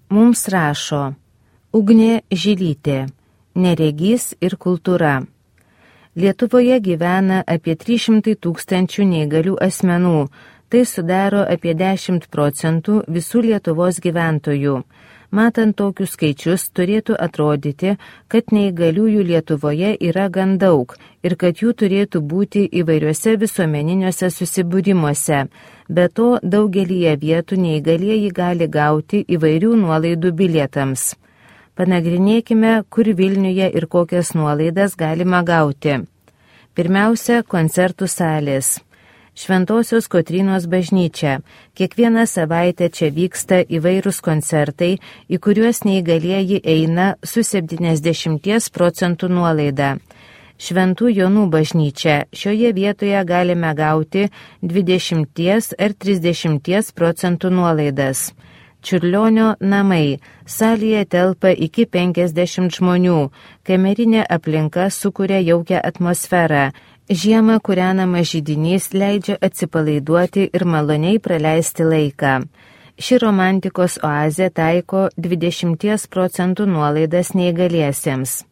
Mums rašo Ugnė Žilytė, neregys ir kultūra. Lietuvoje gyvena apie 300 tūkstančių neįgalių asmenų, tai sudaro apie 10% visų Lietuvos gyventojų. Matant tokius skaičius, turėtų atrodyti, kad neįgaliųjų Lietuvoje yra gan daug ir kad jų turėtų būti įvairiuose visuomeniniuose susibūrimuose. Be to, daugelyje vietų neįgalieji gali gauti įvairių nuolaidų bilietams. Panagrinėkime, kur Vilniuje ir kokias nuolaidas galima gauti. Pirmiausia, koncertų salės. Šventosios Kotrynos bažnyčia. Kiekvieną savaitę čia vyksta įvairūs koncertai, į kuriuos neįgalieji eina su 70% nuolaida. Šventų Jonų bažnyčia. Šioje vietoje galime gauti 20 ar 30% nuolaidas. Čiurlionio namai. Salėje telpa iki 50 žmonių. Kamerinė aplinka sukuria jaukią atmosferą. Žiemą kūrenamas židinys leidžia atsipalaiduoti ir maloniai praleisti laiką. Ši romantikos oazė taiko 20% nuolaidas neįgaliesiems.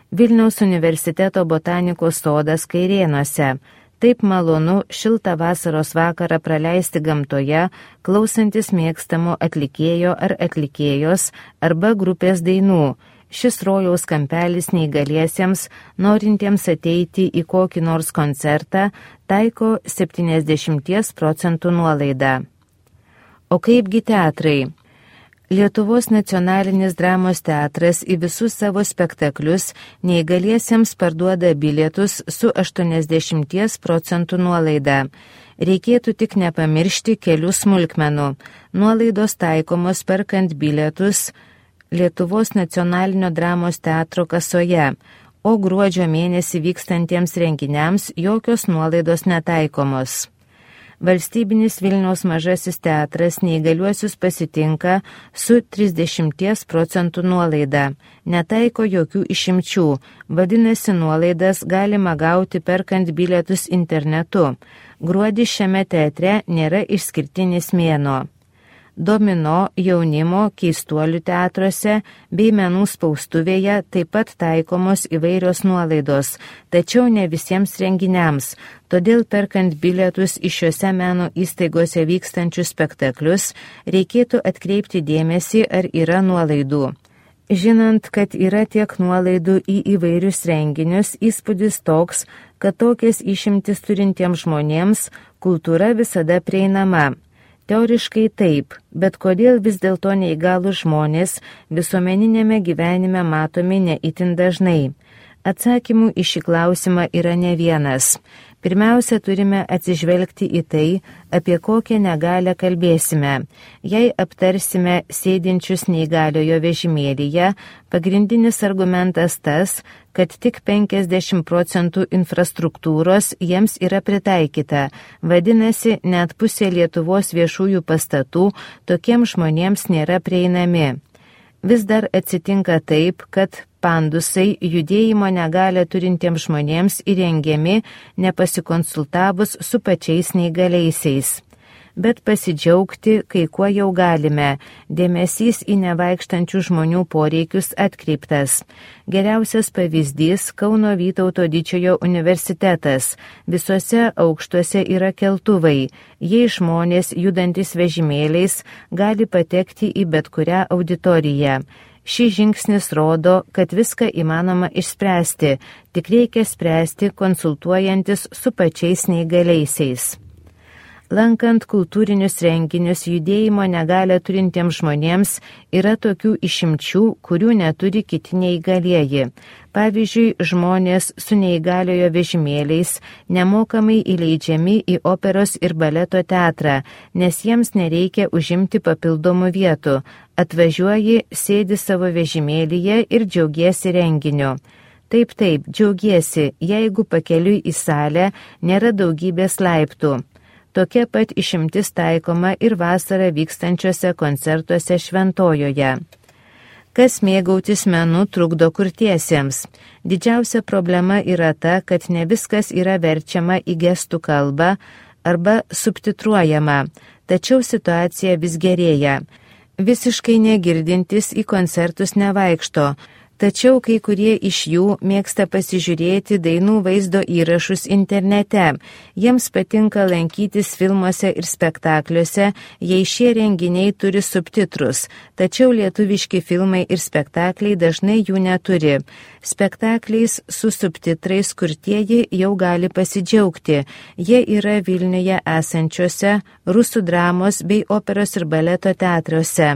Vilniaus universiteto botanikos sodas Kairėnuose. Taip malonu šiltą vasaros vakarą praleisti gamtoje, klausantis mėgstamo atlikėjo ar atlikėjos arba grupės dainų. Šis rojaus kampelis neįgaliesiems, norintiems ateiti į kokį nors koncertą, taiko 70% nuolaidą. O kaipgi teatrai? Lietuvos nacionalinis dramos teatras į visus savo spektaklius neįgaliesiems parduoda bilietus su 80% nuolaida. Reikėtų tik nepamiršti kelių smulkmenų. Nuolaidos taikomos perkant bilietus Lietuvos nacionalinio dramos teatro kasoje, o gruodžio mėnesį vykstantiems renginiams jokios nuolaidos netaikomos. Valstybinis Vilniaus mažasis teatras neįgaliuosius pasitinka su 30% nuolaida. Netaiko jokių išimčių, vadinasi nuolaidas galima gauti perkant bilietus internetu. Gruodis šiame teatre nėra išskirtinis mėnuo. Domino, jaunimo, keistuolių teatruose bei menų spaustuvėje taip pat taikomos įvairios nuolaidos, tačiau ne visiems renginiams, todėl perkant bilietus iš šiuose meno įstaigose vykstančius spektaklius reikėtų atkreipti dėmesį, ar yra nuolaidų. Žinant, kad yra tiek nuolaidų į įvairius renginius, įspūdis toks, kad tokias išimtis turintiems žmonėms kultūra visada prieinama. Teoriškai taip, bet kodėl vis dėlto neįgalūs žmonės visuomeninėme gyvenime matomi ne itin dažnai? Atsakymų į šį klausimą yra ne vienas. Pirmiausia, turime atsižvelgti į tai, apie kokią negalią kalbėsime. Jei aptarsime sėdinčius neįgaliojo vežimėlyje, pagrindinis argumentas tas, kad tik 50% infrastruktūros jiems yra pritaikyta. Vadinasi, net pusė Lietuvos viešųjų pastatų tokiems žmonėms nėra prieinami. Vis dar atsitinka taip, kad pandusai judėjimo negalią turintiems žmonėms įrengiami nepasikonsultavus su pačiais neįgaliaisiais. Bet pasidžiaugti, kai kuo jau galime, dėmesys į nevaikštančių žmonių poreikius atkreiptas. Geriausias pavyzdys Kauno Vytauto Didžiojo universitetas. Visuose aukštuose yra keltuvai. Jei žmonės judantis vežimėliais gali patekti į bet kurią auditoriją. Šis žingsnis rodo, kad viską įmanoma išspręsti, tik reikia spręsti konsultuojantis su pačiais neįgaliaisiais. Lankant kultūrinius renginius judėjimo negalią turintiems žmonėms yra tokių išimčių, kurių neturi kiti neįgalieji. Pavyzdžiui, žmonės su neįgaliojo vežimėliais nemokamai įleidžiami į operos ir baleto teatrą, nes jiems nereikia užimti papildomų vietų. Atvažiuoji, sėdi savo vežimėlyje ir džiaugiesi renginiu. Taip, džiaugiesi, jeigu pakeliui į salę nėra daugybės laiptų. Tokia pat išimtis taikoma ir vasarą vykstančiuose koncertuose Šventojoje. Kas mėgautis menu trukdo kurtiesiems? Didžiausia problema yra ta, kad ne viskas yra verčiama į gestų kalbą arba subtitruojama, tačiau situacija vis gerėja. visiškai negirdintys į koncertus nevaikšto, tačiau kai kurie iš jų mėgsta pasižiūrėti dainų vaizdo įrašus internete. Jiems patinka lankytis filmuose ir spektakliuose, jei šie renginiai turi subtitrus, tačiau lietuviški filmai ir spektakliai dažnai jų neturi. Spektakliais su subtitrais kurtieji jau gali pasidžiaugti. Jie yra Vilniuje esančiuose rusų dramos bei operos ir baleto teatruose.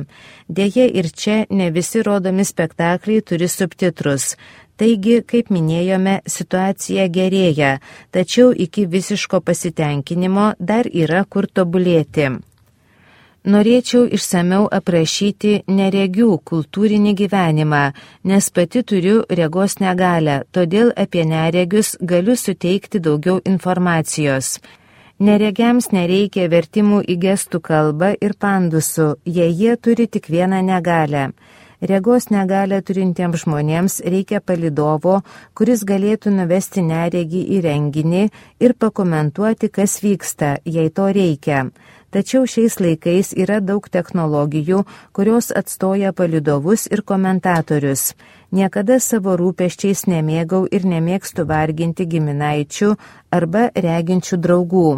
Deja ir čia ne visi rodomi spektakliai turi subtitrus. Taigi, kaip minėjome, situacija gerėja, tačiau iki visiško pasitenkinimo dar yra kur tobulėti. Norėčiau išsameu aprašyti neregių kultūrinį gyvenimą, nes pati turiu regos negalią, todėl apie neregius galiu suteikti daugiau informacijos. Neregiams nereikia vertimų į gestų kalbą ir pandusų, jei jie turi tik vieną negalią. Regos negalią turintiems žmonėms reikia palydovo, kuris galėtų nuvesti neregį į renginį ir pakomentuoti, kas vyksta, jei to reikia. Tačiau šiais laikais yra daug technologijų, kurios atstoja palydovus ir komentatorius. Niekada savo rūpesčiais nemėgau ir nemėgstu varginti giminaičių arba reginčių draugų.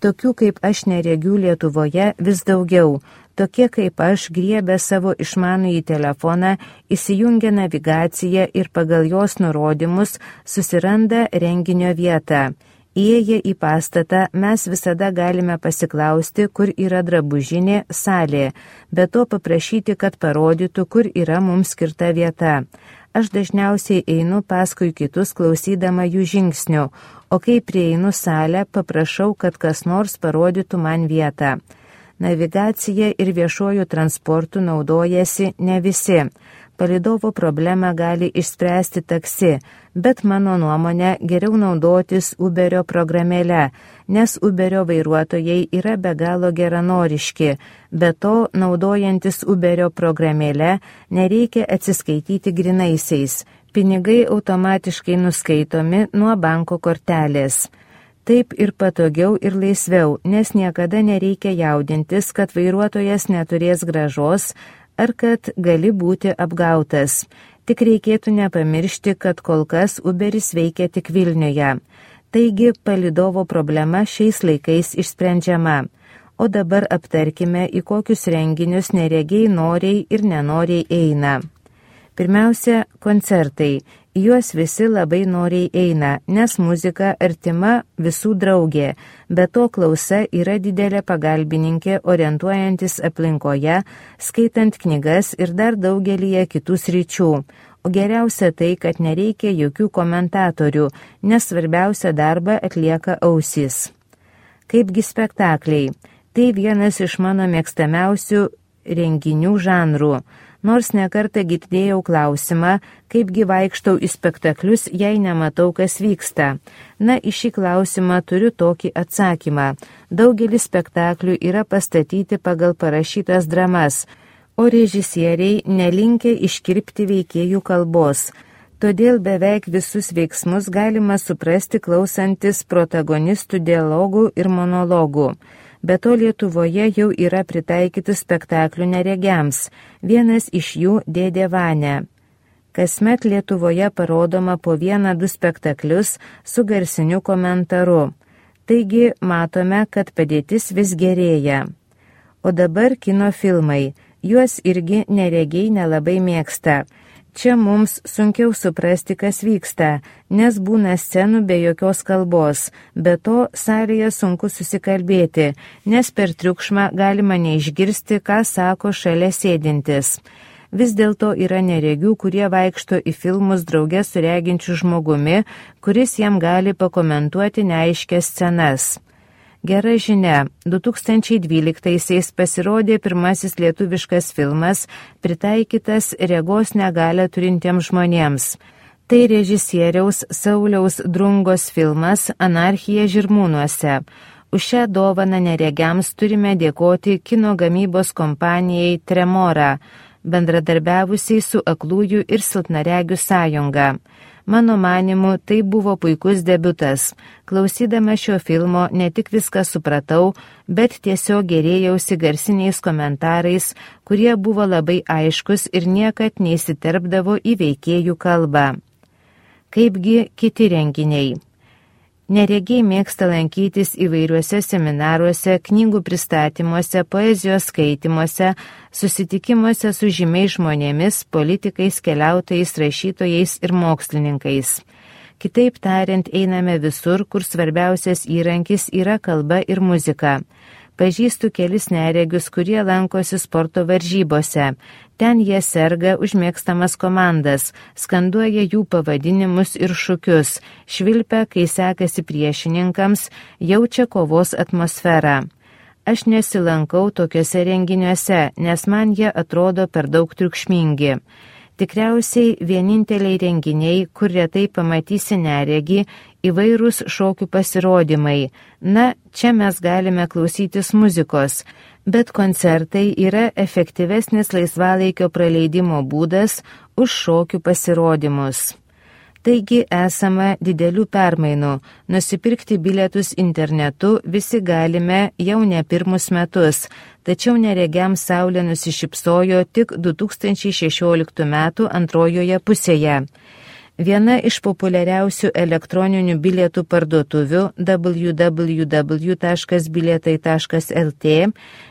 Tokių kaip aš neregių Lietuvoje vis daugiau. Tokie kaip aš griebia savo išmanųjį telefoną, įsijungia navigaciją ir pagal jos nurodymus susiranda renginio vietą. Įėję į pastatą mes visada galime pasiklausti, kur yra drabužinė salė, bet to paprašyti, kad parodytų, kur yra mums skirta vieta. Aš dažniausiai einu paskui kitus klausydama jų žingsnių, o kai prieinu salę, paprašau, kad kas nors parodytų man vietą. Navigacija ir viešuoju transportu naudojasi ne visi. Palydovo problemą gali išspręsti taksi, bet mano nuomonė geriau naudotis Uberio programėle, nes Uberio vairuotojai yra be galo geranoriški. Be to, naudojantis Uberio programėle, nereikia atsiskaityti grynaisiais. Pinigai automatiškai nuskaitomi nuo banko kortelės. Taip ir patogiau ir laisviau, nes niekada nereikia jaudintis, kad vairuotojas neturės grąžos ar kad gali būti apgautas. Tik reikėtų nepamiršti, kad kol kas Uberis veikia tik Vilniuje. Taigi palydovo problema šiais laikais išsprendžiama. O dabar aptarkime, į kokius renginius neregiai noriai ir nenoriai eina. Pirmiausia, koncertai. Juos visi labai noriai eina, nes muzika artima visų draugė, bet to klausa yra didelė pagalbininkė orientuojantis aplinkoje, skaitant knygas ir dar daugelyje kitų sričių. O geriausia tai, kad nereikia jokių komentatorių, nes svarbiausia darbą atlieka ausys. Kaipgi spektakliai? Tai vienas iš mano mėgstamiausių renginių žanrų. Nors nekartą girdėjau klausimą, kaipgi vaikštau į spektaklius, jei nematau, kas vyksta. Na, į šį klausimą turiu tokį atsakymą. Daugelis spektaklių yra pastatyti pagal parašytas dramas, o režisieriai nelinkę iškirpti veikėjų kalbos. Todėl beveik visus veiksmus galima suprasti klausantis protagonistų dialogų ir monologų. Be to Lietuvoje jau yra pritaikytų spektaklių neregiams. Vienas iš jų Dėdė Vania. Kasmet Lietuvoje parodoma po 1-2 spektaklius su garsiniu komentaru. Taigi matome, kad padėtis vis gerėja. O dabar kino filmai. Juos irgi neregiai nelabai mėgsta. Čia mums sunkiau suprasti, kas vyksta, nes būna scenų be jokios kalbos, be to salėje sunku susikalbėti, nes per triukšmą galima neišgirsti, ką sako šalia sėdintis. Vis dėlto yra neregių, kurie vaikšto į filmus drauge su reginčiu žmogumi, kuris jam gali pakomentuoti neaiškias scenas. Gera žinia, 2012-aisiais pasirodė pirmasis lietuviškas filmas, pritaikytas regos negalią turintiems žmonėms. Tai režisieriaus Sauliaus Drungos filmas Anarchija Žirmūnuose. Už šią dovaną neregiams turime dėkoti kino gamybos kompanijai Tremora, bendradarbiavusiai su Aklųjų ir silpnaregių sąjunga. Mano manimu, tai buvo puikus debiutas. Klausydama šio filmo ne tik viską supratau, bet tiesiog gerėjausi garsiniais komentarais, kurie buvo labai aiškus ir niekad neįsiterpdavo į veikėjų kalbą. Kaipgi kiti renginiai? Neregiai mėgsta lankytis įvairiuose seminaruose, knygų pristatymuose, poezijos skaitimuose, susitikimuose su žymiais žmonėmis, politikais, keliautojais, rašytojais ir mokslininkais. Kitaip tariant, einame visur, kur svarbiausias įrankis yra kalba ir muzika. Pažįstu kelis neregius, kurie lankosi sporto varžybose. Ten jie serga užmėgstamas komandas, skanduoja jų pavadinimus ir šūkius, švilpia, kai sekasi priešininkams, jaučia kovos atmosferą. Aš nesilankau tokiuose renginiuose, nes man jie atrodo per daug triukšmingi. Tikriausiai vieninteliai renginiai, kur retai pamatysi neregį, įvairūs šokių pasirodymai. Na, čia mes galime klausytis muzikos, bet koncertai yra efektyvesnis laisvalaikio praleidimo būdas už šokių pasirodymus. Taigi esama didelių permainų. Nusipirkti bilietus internetu visi galime jau ne pirmus metus, tačiau neregiams saulė nusišypsojo tik 2016 metų antrojoje pusėje. Viena iš populiariausių elektroninių bilietų parduotuvių www.bilietai.lt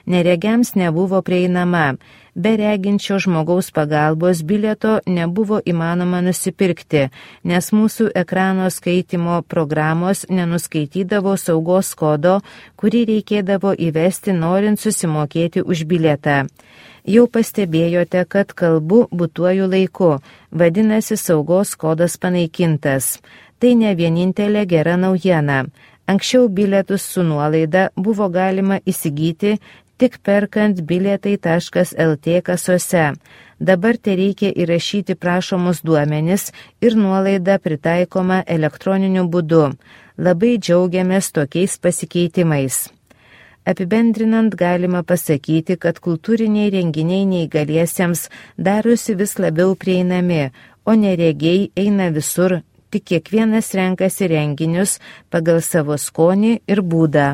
neregiams nebuvo prieinama. Be reginčio žmogaus pagalbos bilieto nebuvo įmanoma nusipirkti, nes mūsų ekrano skaitimo programos nenuskaitydavo saugos kodo, kurį reikėdavo įvesti norint susimokėti už bilietą. Jau pastebėjote, kad kalbu būtuoju laiku, vadinasi saugos kodas panaikintas. Tai ne vienintelė gera naujiena. Anksčiau bilietus su nuolaida buvo galima įsigyti tik perkant bilietai.lt kasose. Dabar tereikia įrašyti prašomus duomenis ir nuolaida pritaikoma elektroniniu būdu. Labai džiaugiamės tokiais pasikeitimais. Apibendrinant galima pasakyti, kad kultūriniai renginiai neįgaliesiems darosi vis labiau prieinami, o neregiai eina visur, tik kiekvienas renkasi renginius pagal savo skonį ir būdą.